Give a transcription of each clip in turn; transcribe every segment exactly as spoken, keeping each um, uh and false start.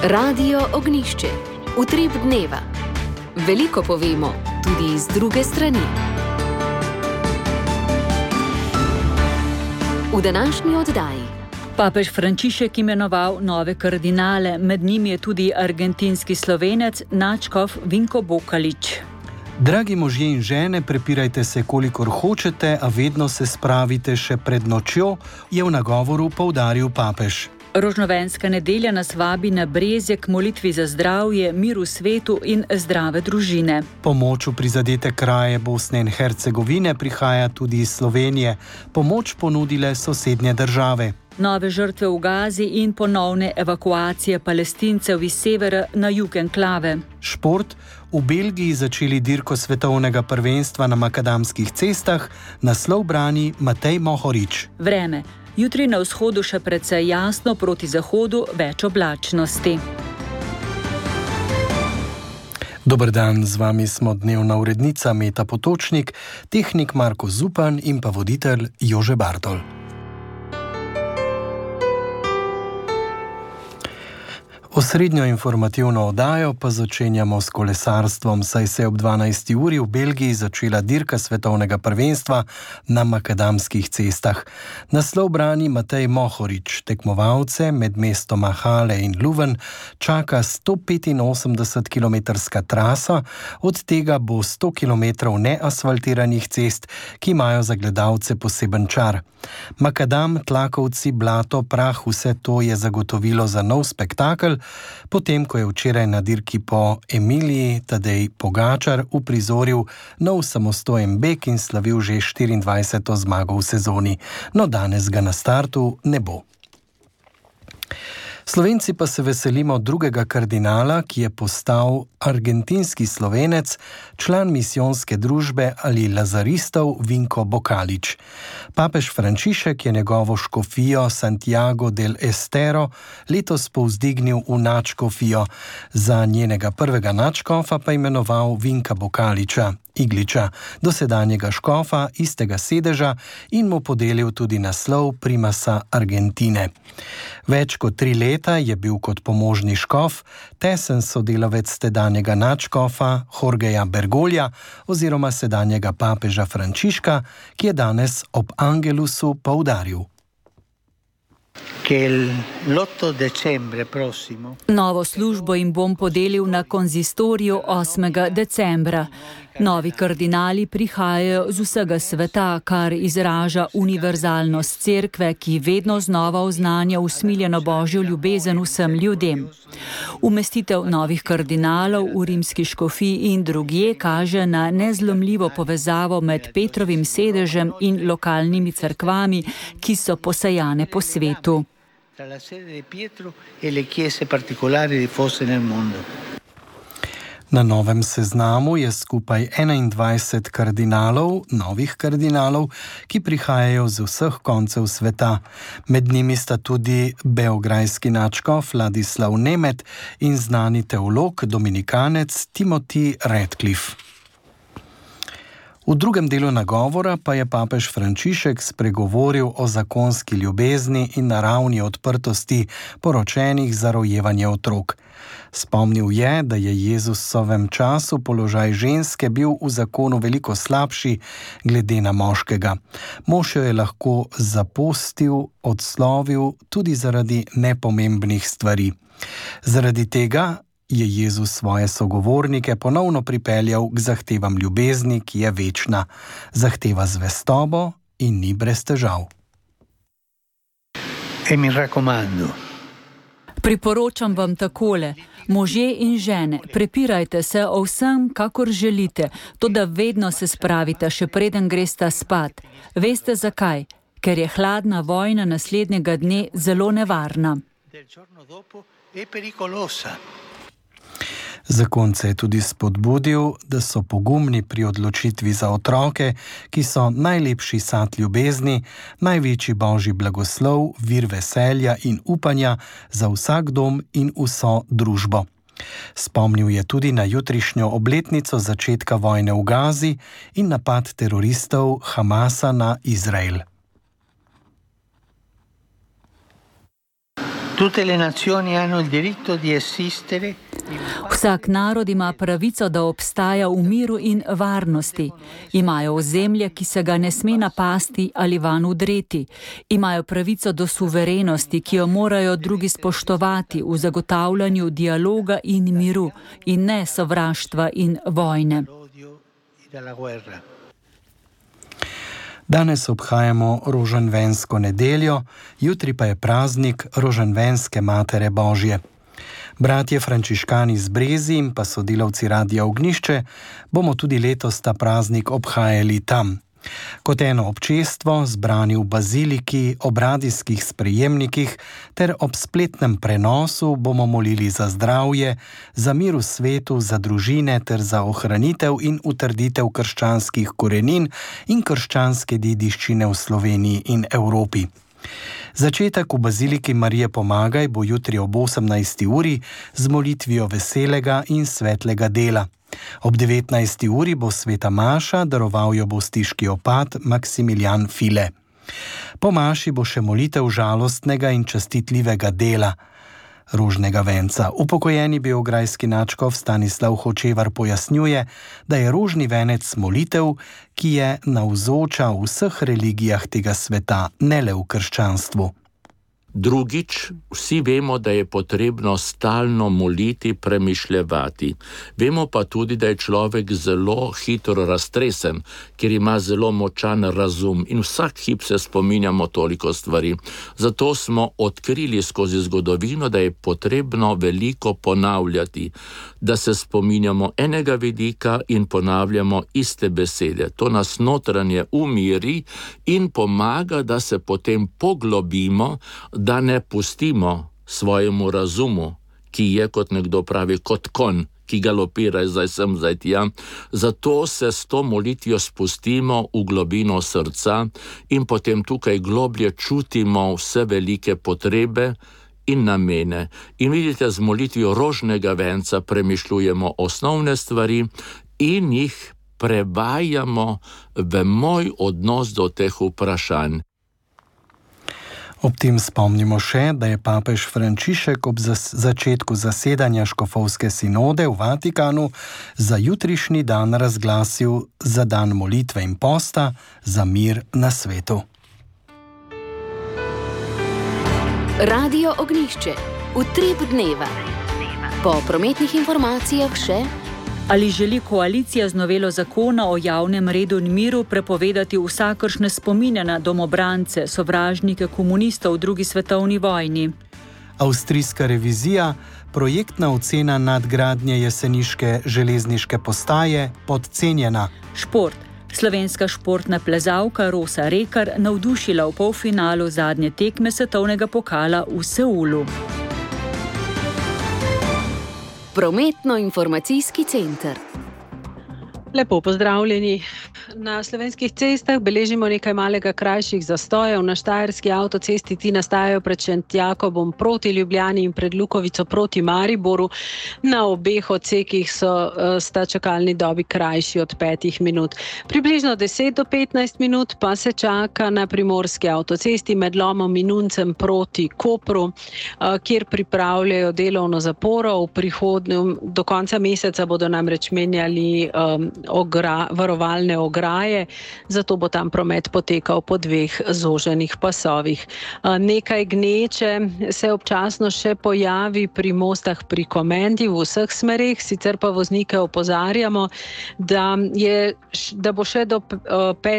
Radio Ognišče, utrip dneva. Veliko povemo, tudi iz druge strani. V današnji oddaji. Papež Frančišek imenoval nove kardinale, med njimi je tudi argentinski Slovenec, nadškof Vinko Bokalič. Dragi možje in žene, prepirajte se, kolikor hočete, a vedno se spravite še pred nočjo, je v nagovoru poudaril papež. Rožnovenska nedelja nas vabi na Brezje k molitvi za zdravje, mir v svetu in zdrave družine. Pomoč v prizadete kraje Bosne in Hercegovine prihaja tudi iz Slovenije. Pomoč ponudile sosednje države. Nove žrtve v Gazi in ponovne evakuacije Palestincev iz severa na jug enklave. Šport. V Belgiji začeli dirko svetovnega prvenstva na makadamskih cestah, naslov brani Matej Mohorič. Vreme. Jutri na vzhodu še precej jasno, proti zahodu več oblačnosti. Dober dan, z vami smo dnevna urednica Meta Potočnik, tehnik Marko Zupan in pa voditelj Jože Bartol. Osrednjo informativno oddajo pa začenjamo s kolesarstvom, saj se je ob dvanajsti uri v Belgiji začela dirka svetovnega prvenstva na makadamskih cestah. Naslov brani Matej Mohorič. Tekmovalce med mestoma Halle in Leuven čaka sto petinosemdesetkilometrska trasa, od tega bo sto kilometrov neasfaltiranih cest, ki imajo za gledalce poseben čar. Makadam, tlakovci, blato, prah, vse to je zagotovilo za nov spektakel, potem ko je včeraj na dirki po Emiliji Tadej Pogačar uprizoril nov samostojen beg in slavil že štiriindvajseto zmago v sezoni. No, danes ga na startu ne bo. Slovenci pa se veselimo drugega kardinala, ki je postal argentinski Slovenec, član misijonske družbe ali lazaristov Vinko Bokalič. Papež Frančišek je njegovo škofijo Santiago del Estero letos povzdignil v nadškofijo, za njenega prvega nadškofa pa imenoval Vinka Bokaliča, Igliča, dosedanjega škofa istega sedeža, in mu podelil tudi naslov primasa Argentine. Več kot tri leta je bil kot pomožni škof tesen sodelavec tedanjega nadškofa Jorgeja Bergolja oziroma sedanjega papeža Frančiška, ki je danes ob Angelusu poudaril. Novo službo jim bom podelil na konzistoriju osmega decembra. Novi kardinali prihajajo z vsega sveta, kar izraža univerzalnost cerkve, ki vedno znova oznanja usmiljeno božjo ljubezen vsem ljudem. Umestitev novih kardinalov v rimski škofiji in drugje kaže na nezlomljivo povezavo med Petrovim sedežem in lokalnimi cerkvami, ki so posejane po svetu. Na novem seznamu je skupaj enaindvajset kardinalov, novih kardinalov, ki prihajajo z vseh koncev sveta. Med njimi sta tudi beograjski nadškof Ladislav Nemet in znani teolog dominikanec Timothy Radcliffe. V drugem delu nagovora pa je papež Frančišek spregovoril o zakonski ljubezni in naravni odprtosti poročenih za rojevanje otrok. Spomnil je, da je Jezusovem času položaj ženske bil v zakonu veliko slabši glede na moškega. Mož jo je lahko zapostil, odslovil tudi zaradi nepomembnih stvari. Zaradi tega je Jezus svoje sogovornike ponovno pripeljal k zahtevam ljubezni, ki je večna. Zahteva zvestobo in ni brez težav. E mi raccomando. Priporočam vam takole, možje in žene, prepirajte se o vsem, kakor želite, toda vedno se spravite, še preden greste spat. Veste zakaj? Ker je hladna vojna naslednjega dne zelo nevarna. Zakonce je tudi spodbudil, da so pogumni pri odločitvi za otroke, ki so najlepši sad ljubezni, največji božji blagoslov, vir veselja in upanja za vsak dom in vso družbo. Spomnil je tudi na jutrišnjo obletnico začetka vojne v Gazi in napad teroristov Hamasa na Izrael. Tutte le nazioni hanno il diritto di esistere. Vsak narod ima pravico, da obstaja v miru in varnosti. Imajo ozemlje, ki se ga ne sme napasti ali van udreti. Imajo pravico do suverenosti, ki jo morajo drugi spoštovati v zagotavljanju dialoga in miru in ne sovraštva in vojne. Danes obhajamo rožanvensko nedeljo, jutri pa je praznik rožanvenske Matere Božje. Bratje frančiškani z Brezi in pa sodelavci Radia Ognjišče bomo tudi letos ta praznik obhajali tam. Kot eno občestvo, zbrani v baziliki, ob radijskih sprejemnikih ter ob spletnem prenosu bomo molili za zdravje, za mir v svetu, za družine ter za ohranitev in utrditev krščanskih korenin in krščanske dediščine v Sloveniji in Evropi. Začetek v baziliki Marije Pomagaj bo jutri ob osemnajsti uri z molitvijo veselega in svetlega dela. Ob devetnajsti uri bo sveta maša, daroval jo bo stiški opat Maksimilijan File. Po maši bo še molitev žalostnega in častitljivega dela rožnega venca. Upokojeni beograjski nadškof Stanislav Hočevar pojasnjuje, da je rožni venec molitev, ki je navzoča v vseh religijah tega sveta, ne le v krščanstvu. Drugič, vsi vemo, da je potrebno stalno moliti, premišljevati. Vemo pa tudi, da je človek zelo hitro raztresen, ker ima zelo močan razum in vsak hip se spominjamo toliko stvari. Zato smo odkrili skozi zgodovino, da je potrebno veliko ponavljati, da se spominjamo enega vidika in ponavljamo iste besede. To nas notranje umiri in pomaga, da se potem poglobimo, da ne pustimo svojemu razumu, ki je, kot nekdo pravi, kot konj, ki galopira zdaj sem, zdaj tja. Zato se s to molitvijo spustimo v globino srca in potem tukaj globlje čutimo vse velike potrebe in namene. In vidite, z molitvijo rožnega venca premišljujemo osnovne stvari in jih prevajamo v moj odnos do teh vprašanj. Ob tem spomnimo še, da je papež Frančišek ob zas- začetku zasedanja škofovske sinode v Vatikanu za jutrišnji dan razglasil za dan molitve in posta za mir na svetu. Radio Ognjišče, utrip dneva. Po prometnih informacijah še: Ali želi koalicija z novelo zakona o javnem redu in miru prepovedati vsakršne spomine na domobrance, sovražnike komunistov v drugi svetovni vojni? Avstrijska revizija, projektna ocena nadgradnje jeseniške železniške postaje podcenjena. Šport. Slovenska športna plezalka Rosa Rekar navdušila v polfinalu zadnje tekme svetovnega pokala v Seulu. Prometno-informacijski center. Lepo pozdravljeni. Na slovenskih cestah beležimo nekaj malega krajših zastojev. Na štajerski avtocesti ti nastajajo pred Šentjakobom proti Ljubljani in pred Lukovico proti Mariboru. Na obeh odsekih so sta čakalni dobi krajši od petih minut. Približno deset do petnajst minut pa se čaka na primorski avtocesti med Lomom in Uncem proti Kopru, kjer pripravljajo delovno zaporo. V prihodnjem, do konca meseca bodo namreč menjali um, ogra, varovalne ograje, zato bo tam promet potekal po dveh zoženih pasovih. Nekaj gneče se občasno še pojavi pri mostah pri Komendi v vseh smereh, sicer pa voznike opozarjamo, da, je, da bo še do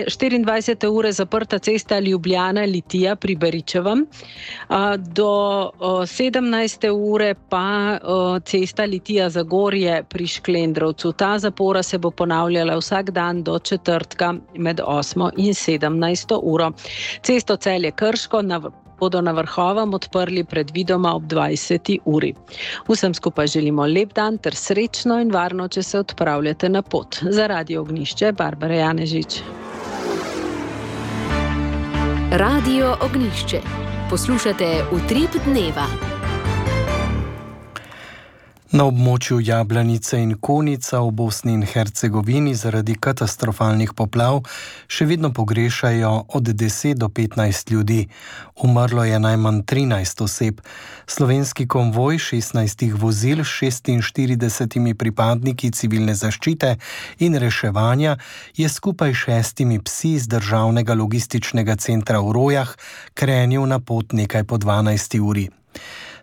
štiriindvajsete ure zaprta cesta Ljubljana-Litija pri Beričevem, do sedemnajste ure pa cesta Litija-Zagorje pri Šklendrovcu. Ta zapora se bo ponavljala vsak dan do četrtka med osmo in sedemnajsto uro. Cesto Celje-Krško na, bodo na Vrhovem odprli predvidoma ob dvajseti uri. Vsem skupaj želimo lep dan ter srečno in varno, če se odpravljate na pot. Za Radio Ognjišče, Barbara Janežič. Radio Ognjišče. Poslušate Utrip dneva. Na območju Jablanice in Konica v Bosni in Hercegovini zaradi katastrofalnih poplav še vedno pogrešajo od deset do petnajst ljudi. Umrlo je najmanj trinajst oseb. Slovenski konvoj šestnajstih vozil s šestinštiridesetimi pripadniki civilne zaščite in reševanja je skupaj šestimi psi z državnega logističnega centra v Rojah krenil na pot nekaj po dvanajsti uri.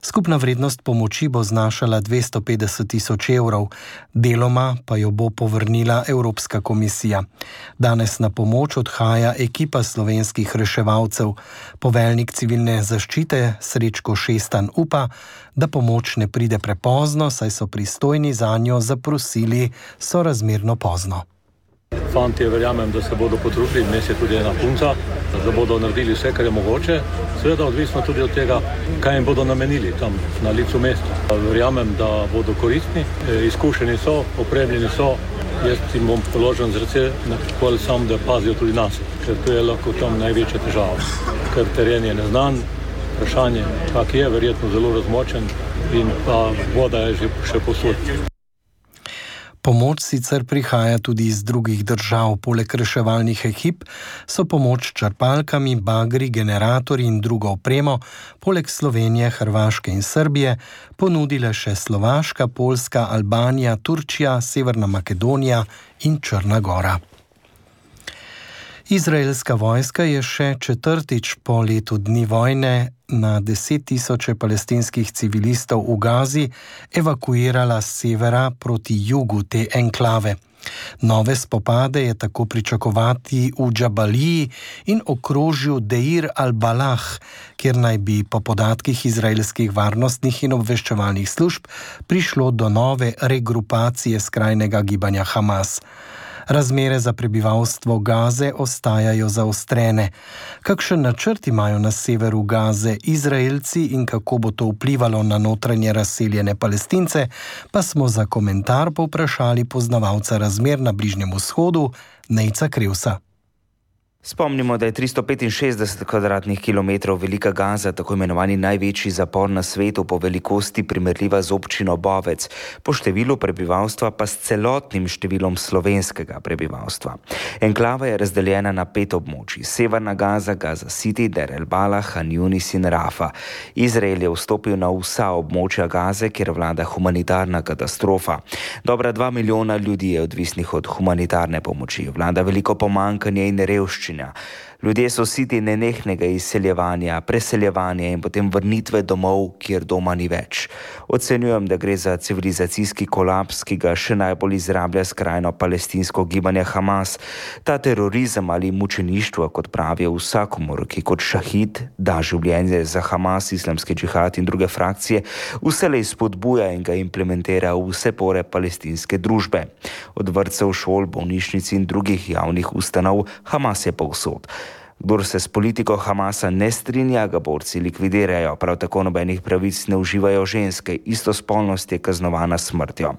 Skupna vrednost pomoči bo znašala dvesto petdeset tisoč evrov, deloma pa jo bo povrnila Evropska komisija. Danes na pomoč odhaja ekipa slovenskih reševalcev. Poveljnik civilne zaščite Srečko Šestan upa, da pomoč ne pride prepozno, saj so pristojni zanjo zaprosili sorazmerno pozno. Fantje, verjamem, da se bodo potrudili, vmes je tudi ena punca, da bodo naredili vse, kar je mogoče. Seveda odvisno tudi od tega, kaj jim bodo namenili tam na licu mesta. Verjamem, da bodo koristni, izkušeni so, opremljeni so. Jaz jim bom položen z rece, nakoli sam, da pazijo tudi nas, ker to je lahko tam največja težava. Ker teren je neznan, vprašanje, kak je, verjetno zelo razmočen in pa voda je že še posod. Pomoč sicer prihaja tudi iz drugih držav. Poleg reševalnih ekip so pomoč črpalkami, bagri, generatorji in drugo opremo, poleg Slovenije, Hrvaške in Srbije, ponudile še Slovaška, Poljska, Albanija, Turčija, Severna Makedonija in Črna Gora. Izraelska vojska je še četrtič po letu dni vojne na deset tisoče palestinskih civilistov v Gazi evakuirala s severa proti jugu te enklave. Nove spopade je tako pričakovati v Džabaliji in okrožju Deir al-Balah, kjer naj bi po podatkih izraelskih varnostnih in obveščevalnih služb prišlo do nove regrupacije skrajnega gibanja Hamas. Razmere za prebivalstvo Gaze ostajajo zaostrene. Kakšen načrt imajo na severu Gaze Izraelci in kako bo to vplivalo na notranje razseljene Palestince, pa smo za komentar povprašali poznavalca razmer na Bližnjem vzhodu, Nejca Krevsa. Spomnimo, da je tristo petinšestdeset kvadratnih kilometrov velika Gaza, tako imenovani največji zapor na svetu, po velikosti primerljiva z občino Bovec, po številu prebivalstva pa s celotnim številom slovenskega prebivalstva. Enklava je razdeljena na pet območij: Severna Gaza, Gaza City, Deir el-Balah, Han Yunis in Rafa. Izrael je vstopil na vsa območja Gaze, kjer vlada humanitarna katastrofa. Dobra dva milijona ljudi je odvisnih od humanitarne pomoči. Vlada veliko pomanjkanje in revščine. Ljudje so siti nenehnega izseljevanja, preseljevanja in potem vrnitve domov, kjer doma ni več. Ocenjujem, da gre za civilizacijski kolaps, ki ga še najbolj izrablja skrajno palestinsko gibanje Hamas. Ta terorizem ali mučeništvo, kot pravijo vsakomur, ki kot šahid da življenje za Hamas, islamski džihad in druge frakcije, vselej spodbuja in ga implementira v vse pore palestinske družbe. Od vrtcev, šol, bolnišnic in drugih javnih ustanov Hamas je povsod. Kdor se s politiko Hamasa ne strinja, ga borci likvidirajo, prav tako nobenih pravic ne uživajo ženske, istospolnost je kaznovana s smrtjo.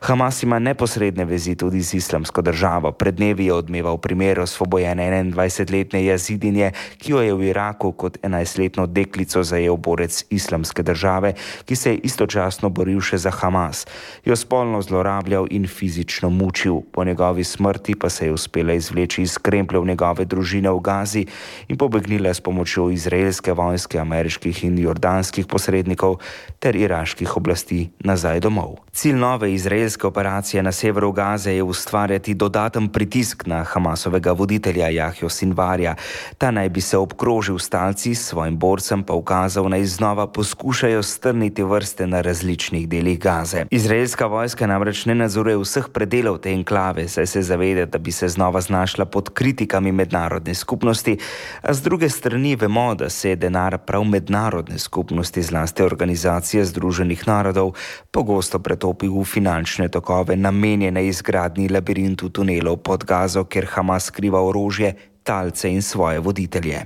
Hamas ima neposredne vezi tudi z islamsko državo. Pred dnevi je odmeval primer osvobojene enaindvajsetletne Jazidinje, ki jo je v Iraku kot enajstletno deklico zajel borec islamske države, ki se je istočasno boril še za Hamas. Jo spolno zlorabljal in fizično mučil. Po njegovi smrti pa se je uspela izvleči iz krempljev njegove družine v Gazi in pobegnila s pomočjo izraelske vojske, ameriških in jordanskih posrednikov ter iraških oblasti nazaj domov. Cilj nove izraelske operacije na severu Gaze je ustvarjati dodaten pritisk na Hamasovega voditelja Jahjo Sinvarja. Ta naj bi se obkrožil s talci, svojim borcem pa ukazal, naj znova poskušajo strniti vrste na različnih delih Gaze. Izraelska vojska namreč ne nadzoruje vseh predelov te enklave, saj se zaveda, da bi se znova znašla pod kritikami mednarodne skupnosti, a z druge strani vemo, da se je denar prav mednarodne skupnosti, zlasti Organizacije združenih narodov, pogosto pretopil v finančne tokove namenjene izgradnji labirintu tunelov pod Gazo, kjer Hamas skriva orožje, talce in svoje voditelje.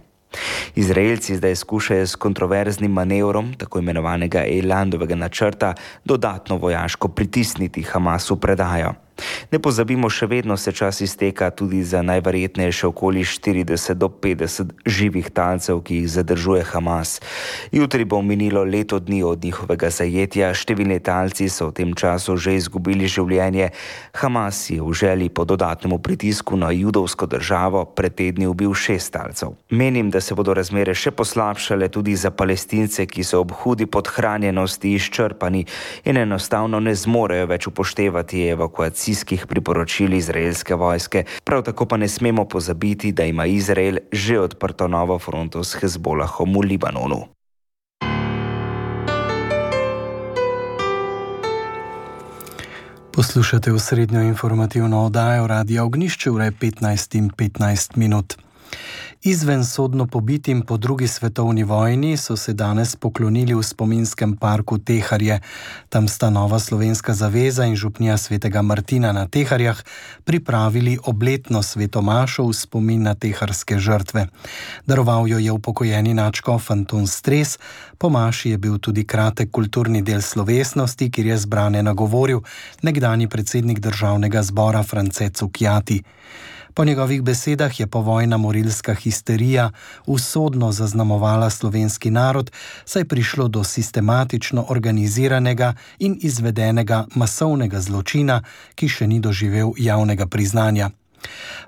Izraelci zdaj skušajo s kontroverznim manevrom, tako imenovanega Eilandovega načrta, dodatno vojaško pritisniti Hamasu predajo. Ne pozabimo, še vedno se čas izteka tudi za najverjetneje še okoli štirideset do petdeset živih talcev, ki jih zadržuje Hamas. Jutri bo minilo leto dni od njihovega zajetja, številni talci so v tem času že izgubili življenje. Hamas je v želji po dodatnemu pritisku na judovsko državo pred tedni ubil šest talcev. Menim, da se bodo razmere še poslabšale tudi za Palestince, ki so ob hudi podhranjenosti izčrpani in enostavno ne zmorejo več upoštevati evakuacijskih priporočil izraelske vojske. Prav tako pa ne smemo pozabiti, da ima Izrael že odprto novo fronto s Hezbolahom v Libanonu. Poslušate osrednjo informativno oddajo Radia Ognjišče, ura je petnajst in petnajst minut. Izven sodno pobitim po drugi svetovni vojni so se danes poklonili v spominskem parku Teharje. Tam sta Nova slovenska zaveza in župnija svetega Martina na Teharjah pripravili obletno svetomašo v spomin na teharske žrtve. Daroval jo je upokojeni nadškof Anton Stres. Po maši je bil tudi kratek kulturni del slovesnosti, kjer je zbrane nagovoril nekdanji predsednik državnega zbora France Cukjati. Po njegovih besedah je povojna morilska histerija usodno zaznamovala slovenski narod, saj je prišlo do sistematično organiziranega in izvedenega masovnega zločina, ki še ni doživel javnega priznanja.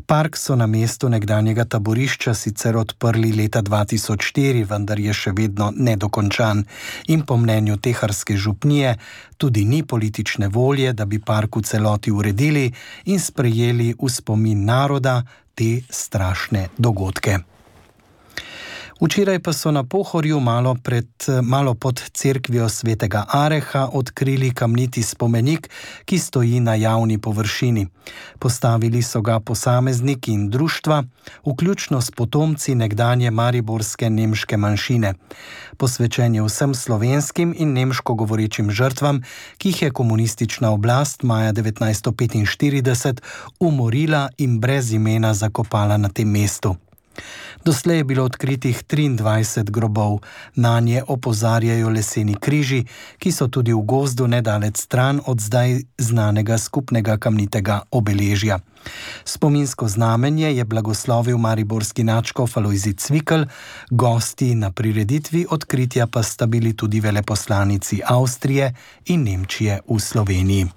Park so na mestu nekdanjega taborišča sicer odprli leta dva tisoč štiri, vendar je še vedno nedokončan in po mnenju teharske župnije tudi ni politične volje, da bi park v celoti uredili in sprejeli v spomin naroda te strašne dogodke. Včeraj pa so na Pohorju malo, pred, malo pod cerkvijo svetega Areha odkrili kamniti spomenik, ki stoji na javni površini. Postavili so ga posamezniki in društva, vključno s potomci nekdanje mariborske nemške manjšine. Posvečen je vsem slovenskim in nemško govorečim žrtvam, ki jih je komunistična oblast maja devetnajststo petinštirideset umorila in brez imena zakopala na tem mestu. Doslej je bilo odkritih triindvajset grobov, nanje opozarjajo leseni križi, ki so tudi v gozdu nedalec stran od zdaj znanega skupnega kamnitega obeležja. Spominsko znamenje je blagoslovil mariborski nadškof Alojzij Cvikl, gosti na prireditvi odkritja pa sta bili tudi veleposlanici Avstrije in Nemčije v Sloveniji.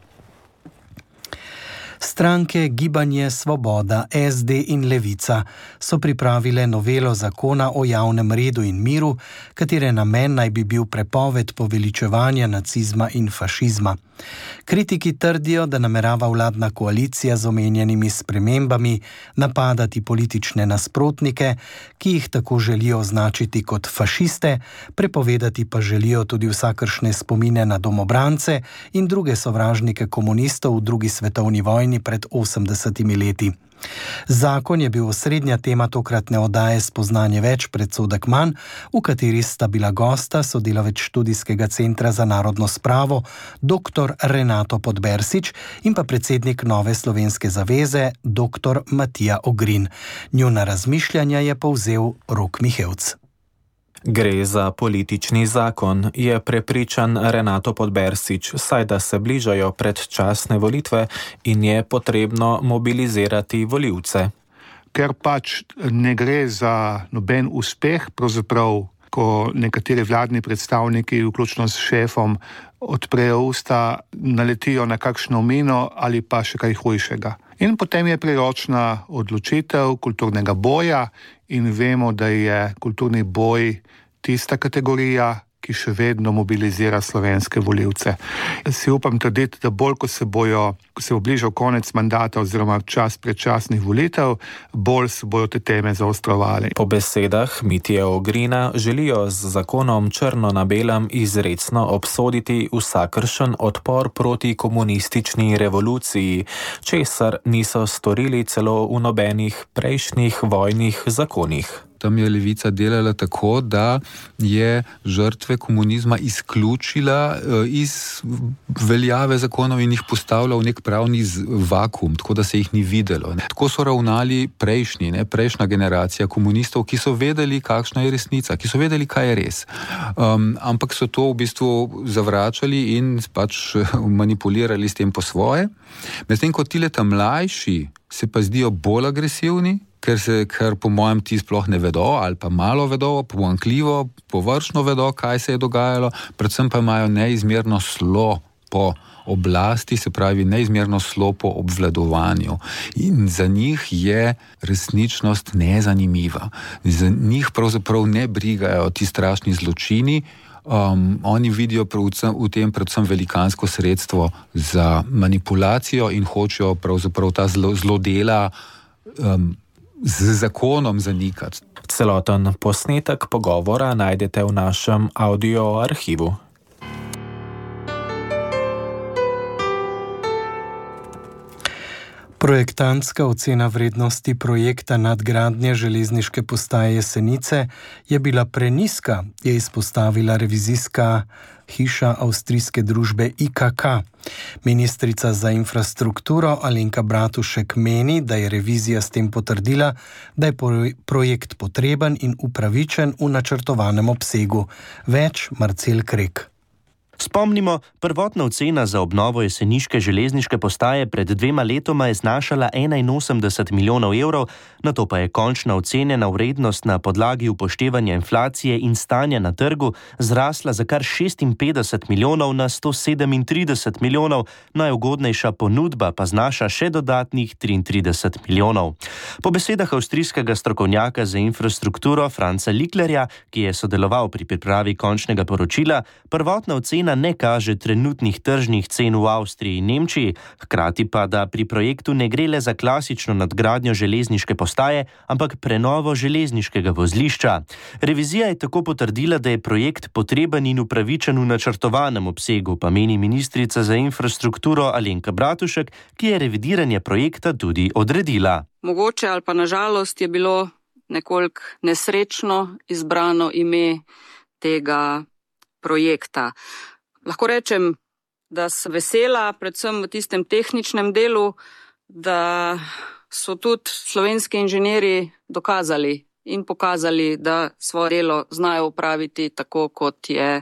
Stranke Gibanje Svoboda, S D in Levica so pripravile novelo zakona o javnem redu in miru, katere namen naj bi bil prepoved poveličevanja nacizma in fašizma. Kritiki trdijo, da namerava vladna koalicija z omenjenimi spremembami napadati politične nasprotnike, ki jih tako želijo označiti kot fašiste, prepovedati pa želijo tudi vsakršne spomine na domobrance in druge sovražnike komunistov v drugi svetovni vojni pred osemdesetimi leti. Zakon je bil osrednja tema tokratne oddaje Spoznanje več, predsodek manj, v kateri sta bila gosta sodelavec študijskega centra za narodno spravo dr. Renato Podbersič in pa predsednik Nove slovenske zaveze dr. Matija Ogrin. Njuna razmišljanja je povzel Rok Mihevc. Gre za politični zakon, je prepričan Renato Podbersič, saj da se bližajo predčasne volitve in je potrebno mobilizirati volivce. Ker pač ne gre za noben uspeh, pravzaprav, ko nekateri vladni predstavniki, vključno s šefom, odprejo usta, naletijo na kakšno mino ali pa še kaj hujšega. In potem je priročna odločitev kulturnega boja in vemo, da je kulturni boj tista kategorija, ki še vedno mobilizira slovenske volivce. Si upam trditi, da bolj, ko se bojo, ko se bo bližal konec mandata oziroma čas predčasnih volitev, bolj se bojo te teme zaostrovali. Po besedah Mitje Ogrina želijo z zakonom črno na belem izrecno obsoditi vsakršen odpor proti komunistični revoluciji, česar niso storili celo v nobenih prejšnjih vojnih zakonih. tam je levica delala tako, da je žrtve komunizma izključila iz veljave zakonov in jih postavila v nek pravni vakuum, tako da se jih ni videlo. Ne. Tako so ravnali prejšnji, ne, prejšnja generacija komunistov, ki so vedeli, kakšna je resnica, ki so vedeli, kaj je res. Um, ampak so to v bistvu zavračali in pač manipulirali s tem po svoje. Medtem ko ti leta mlajši se pa zdijo bolj agresivni, ker, se, ker po mojem ti sploh ne vedo ali pa malo vedo, pomanjkljivo, površno vedo, kaj se je dogajalo, predvsem pa imajo neizmerno slo po oblasti, se pravi neizmerno slo po obvladovanju. In za njih je resničnost nezanimiva. Za njih pravzaprav ne brigajo ti strašni zločini. Um, oni vidijo predvsem, v tem predvsem velikansko sredstvo za manipulacijo in hočejo pravzaprav ta zlo, zlodela um, z zakonom zanikati. Celoten posnetek pogovora najdete v našem audio arhivu. Projektantska ocena vrednosti projekta nadgradnje železniške postaje Jesenice je bila prenizka, je izpostavila revizijska hiša avstrijske družbe I K K. Ministrica za infrastrukturo Alenka Bratušek meni, da je revizija s tem potrdila, da je projekt potreben in upravičen v načrtovanem obsegu. Več Marcel Krek. Spomnimo, prvotna ocena za obnovo jeseniške železniške postaje pred dvema letoma je znašala enainosemdeset milijonov evrov, nato pa je končna ocenjena vrednost na podlagi upoštevanja inflacije in stanja na trgu zrasla za kar šestinpetdeset milijonov na sto sedemintrideset milijonov, najugodnejša ponudba pa znaša še dodatnih triintrideset milijonov. Po besedah avstrijskega strokovnjaka za infrastrukturo Franca Liklerja, ki je sodeloval pri pripravi končnega poročila, prvotna ocena ne kaže trenutnih tržnih cen v Avstriji in Nemčiji, hkrati pa, da pri projektu ne gre le za klasično nadgradnjo železniške postaje, ampak prenovo železniškega vozlišča. Revizija je tako potrdila, da je projekt potreben in upravičen v načrtovanem obsegu, pa meni ministrica za infrastrukturo Alenka Bratušek, ki je revidiranje projekta tudi odredila. Mogoče ali pa nažalost je bilo nekoliko nesrečno izbrano ime tega projekta. Lahko rečem, da sem vesela, predvsem v tistem tehničnem delu, da so tudi slovenski inženirji dokazali in pokazali, da svoje delo znajo upraviti tako, kot je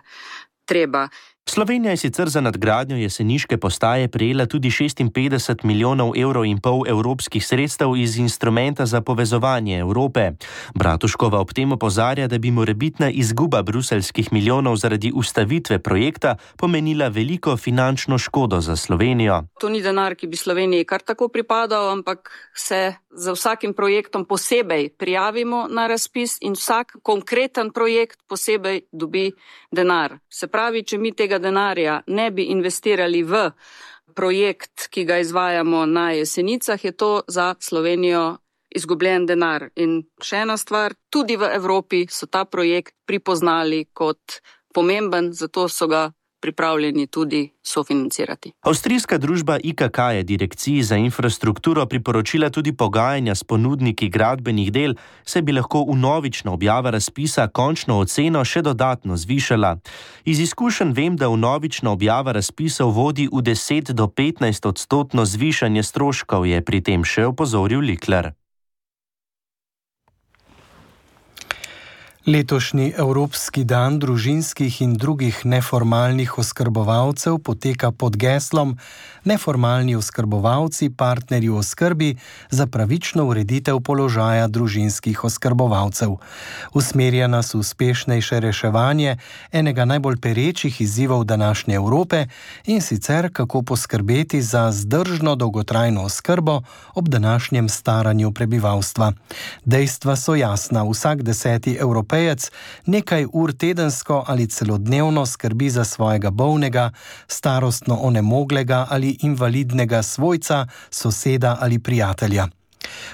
treba. Slovenija je sicer za nadgradnjo jeseniške postaje prejela tudi šestinpetdeset milijonov evrov in pol evropskih sredstev iz instrumenta za povezovanje Evrope. Bratuškova ob tem opozarja, da bi morebitna izguba bruseljskih milijonov zaradi ustavitve projekta pomenila veliko finančno škodo za Slovenijo. To ni denar, ki bi Sloveniji kar tako pripadal, ampak se za vsakim projektom posebej prijavimo na razpis in vsak konkreten projekt posebej dobi denar. Se pravi, če mi tega denarja ne bi investirali v projekt, ki ga izvajamo na Jesenicah, je to za Slovenijo izgubljen denar. In še ena stvar, tudi v Evropi so ta projekt pripoznali kot pomemben, zato so ga pripravljeni tudi sofinancirati. Avstrijska družba I K K je direkciji za infrastrukturo priporočila tudi pogajanja s ponudniki gradbenih del, saj bi lahko vnovična objava razpisa končno oceno še dodatno zvišala. Iz izkušenj vem, da vnovična objava razpisov vodi v deset do petnajst odstotno zvišanje stroškov, je pri tem še opozoril Likler. Letošnji Evropski dan družinskih in drugih neformalnih oskrbovalcev poteka pod geslom Neformalni oskrbovalci, partnerji v oskrbi za pravično ureditev položaja družinskih oskrbovalcev. Usmerja nas v uspešnejše reševanje enega najbolj perečih izzivov današnje Evrope in sicer kako poskrbeti za zdržno dolgotrajno oskrbo ob današnjem staranju prebivalstva. Dejstva so jasna, vsak deseti Evropejec nekaj ur tedensko ali celodnevno skrbi za svojega bolnega, starostno onemoglega ali invalidnega svojca, soseda ali prijatelja.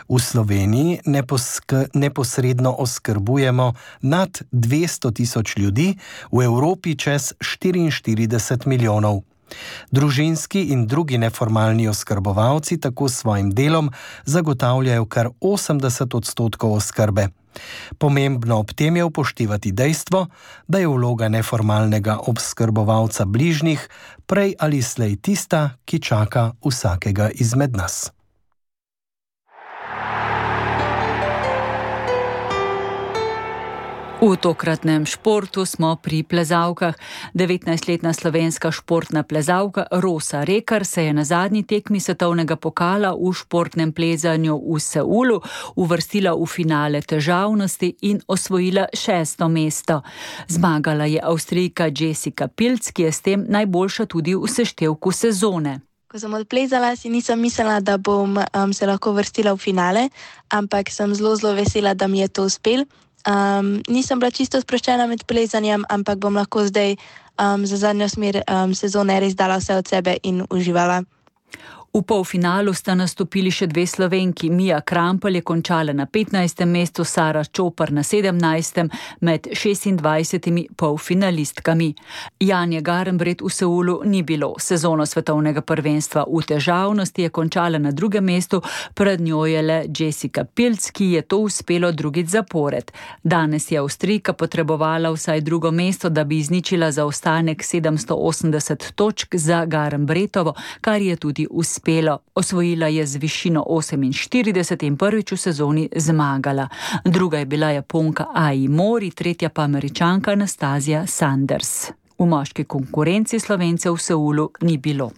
V Sloveniji neposk- neposredno oskrbujemo nad dvesto tisoč ljudi, v Evropi čez štiriinštirideset milijonov. Družinski in drugi neformalni oskrbovalci tako s svojim delom zagotavljajo kar osemdeset odstotkov oskrbe. Pomembno ob tem je upoštevati dejstvo, da je vloga neformalnega obskrbovalca bližnjih prej ali slej tista, ki čaka vsakega izmed nas. V tokratnem športu smo pri plezalkah. devetnajstletna slovenska športna plezalka Rosa Rekar se je na zadnji tekmi svetovnega pokala v športnem plezanju v Seulu uvrstila v finale težavnosti in osvojila šesto mesto. Zmagala je Avstrijka Jessica Pilc, ki je s tem najboljša tudi v seštevku sezone. Ko sem odplezala, si nisem mislila, da bom um, se lahko vrstila v finale, ampak sem zelo, zelo vesela, da mi je to uspelo. Um, nisem bila čisto sproščena med plezanjem, ampak bom lahko zdaj um, za zadnjo smer um, sezone res dala vse od sebe in uživala. V polfinalu sta nastopili še dve Slovenki. Mija Krampelj je končala na petnajstem mestu, Sara Čopar na sedemnajstem med šestindvajsetimi polfinalistkami. Janje Garnbret v Seulu ni bilo. Sezono svetovnega prvenstva v težavnosti je končala na drugem mestu, pred njo je le Jessica Pilc, ki je to uspelo drugič zapored. Danes je Avstrijka potrebovala vsaj drugo mesto, da bi izničila zaostanek sedemsto osemdeset točk za Garnbretovo, kar je tudi uspelo. Osvojila je z višino oseminštirideset in prvič v sezoni zmagala. Druga je bila Japonka Ai Mori, tretja pa Američanka Anastazija Sanders. V moški konkurenci Slovencev v Seulu ni bilo.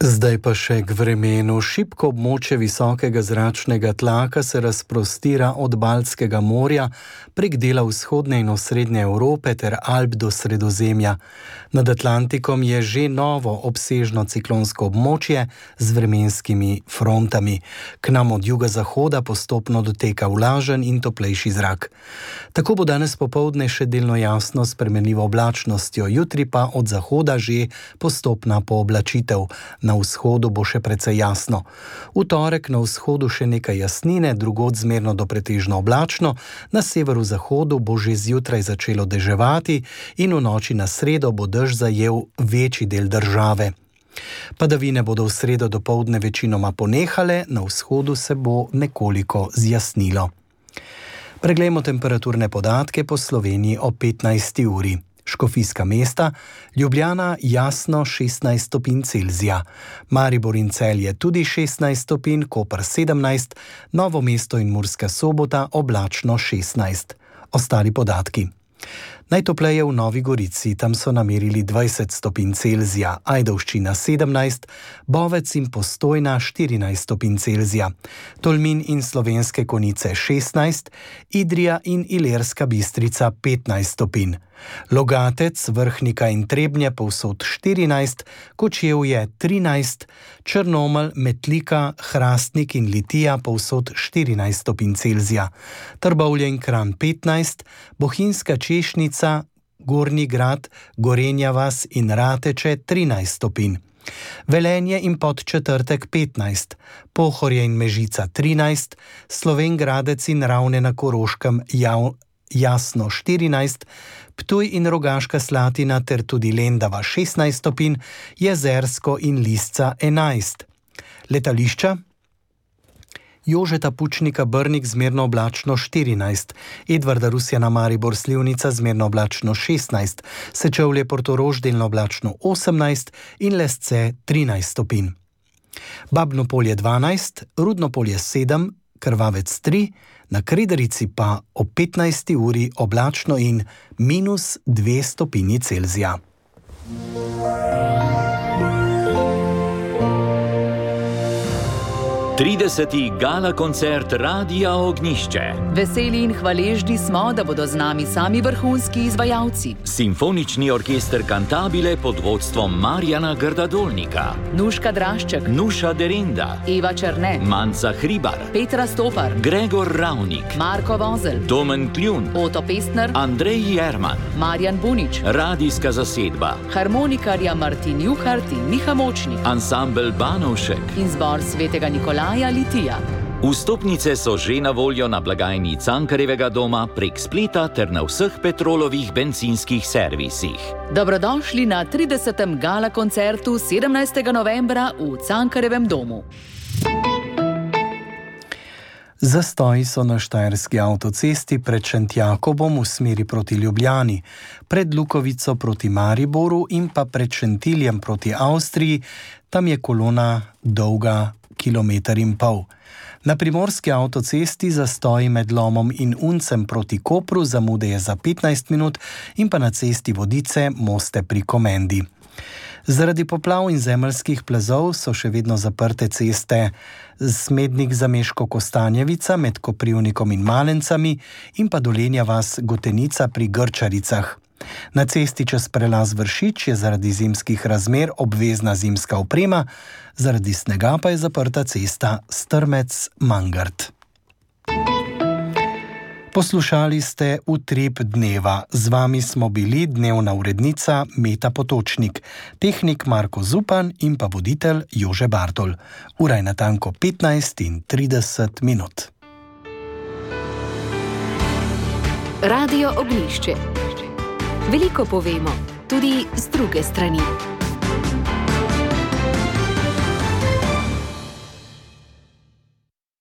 Zdaj pa še k vremenu. Šibko območje visokega zračnega tlaka se razprostira od Baltskega morja prek dela vzhodne in osrednje Evrope ter Alp do Sredozemlja. Nad Atlantikom je že novo obsežno ciklonsko območje z vremenskimi frontami. K nam od juga-zahoda postopno doteka vlažen in toplejši zrak. Tako bo danes popoldne še delno jasno s spremenljivo oblačnostjo, jutri pa od zahoda že postopna pooblačitev. Na vzhodu bo še precej jasno. V torek na vzhodu še nekaj jasnine, drugod zmerno do pretežno oblačno, na severu-zahodu bo že zjutraj začelo deževati in v noči na sredo bo dež zajel večji del države. Padavine bodo v sredo dopoldne večinoma ponehale, na vzhodu se bo nekoliko zjasnilo. Preglejmo temperaturne podatke po Sloveniji o petnajsti uri. Škofijska mesta, Ljubljana jasno šestnajst stopinj Celzija, Maribor in Celje tudi šestnajst stopinj, Koper sedemnajst, Novo mesto in Murska Sobota oblačno šestnajst. Ostali podatki. Najtopleje v Novi Gorici, tam so namerili dvajset stopinj Celzija, Ajdovščina sedemnajst, Bovec in Postojna štirinajst stopinj Celzija, Tolmin in Slovenske Konjice šestnajst, Idrija in Ilirska Bistrica petnajst stopinj, Logatec, Vrhnika in Trebnje povsod štirinajst, Kočevje trinajst, Črnomelj, Metlika, Hrastnik in Litija povsod štirinajst stopinj Celzija, Trbovlje in Kranj petnajst, Bohinjska Češnica, Gornji Grad, Gorenja vas in Rateče trinajst stopinj, Velenje in Podčetrtek petnajst, Pohorje in Mežica trinajst, Slovenj Gradec in Ravne na Koroškem jav, jasno štirinajst, Ptuj in Rogaška Slatina ter tudi Lendava šestnajst stopinj, Jezersko in Lisca enajst. Letališča? Jožeta Pučnika Brnik zmerno oblačno štirinajst, Edvarda Rusjana Maribor Slivnica zmerno oblačno šestnajst, Sečevlje Portorož delno oblačno osemnajst in Lesce trinajst stopinj. Babno Polje dvanajst, Rudno Polje sedem, Krvavec tri, na Krederici pa ob petnajsti uri oblačno in minus dve stopinji Celzija. trideseti gala koncert Radia Ognjišče. Veseli in hvaležni smo, da bodo z nami sami vrhunski izvajalci. Simfonični orkester Cantabile pod vodstvom Marjana Grdadolnika, Nuška Drašček, Nuša Derinda, Eva Černe, Manca Hribar, Petra Stopar, Gregor Ravnik, Marko Vozel, Domen Kljun, Oto Pestner, Andrej Jerman, Marjan Bunič, radijska zasedba, harmonikarja Martin Juhart in Miha Močnik, ansambel Banovšek in zbor Svetega Nikolaja Litija. Vstopnice so že na voljo na blagajni Cankarjevega doma, prek spleta ter na vseh Petrolovih bencinskih servisih. Dobrodošli na tridesetem gala koncertu sedemnajstega novembra v Cankarjevem domu. Zastoji so na štajerski avtocesti pred Šentjakobom v smeri proti Ljubljani, pred Lukovico proti Mariboru in pa pred Šentiljem proti Avstriji. Tam je kolona dolga kilometer in pol. Na primorski avtocesti zastoji med Lomom in Uncem proti Kopru, zamude je za petnajst minut, in pa na cesti Vodice Moste pri Komendi. Zaradi poplav in zemeljskih plazov so še vedno zaprte ceste Smednik-Zameško-Kostanjevica med Koprivnikom in Malencami in pa Dolenja vas Gotenica pri Grčaricah. Na cesti čez prelaz Vršič je zaradi zimskih razmer obvezna zimska oprema, zaradi snega pa je zaprta cesta Strmec-Mangart. Poslušali ste Utrip dneva. Z vami smo bili dnevna urednica Meta Potočnik, tehnik Marko Zupan in pa voditelj Jože Bartol. Ura je natanko petnajst in trideset minut. Radio Ognjišče. Veliko povemo, tudi z druge strani.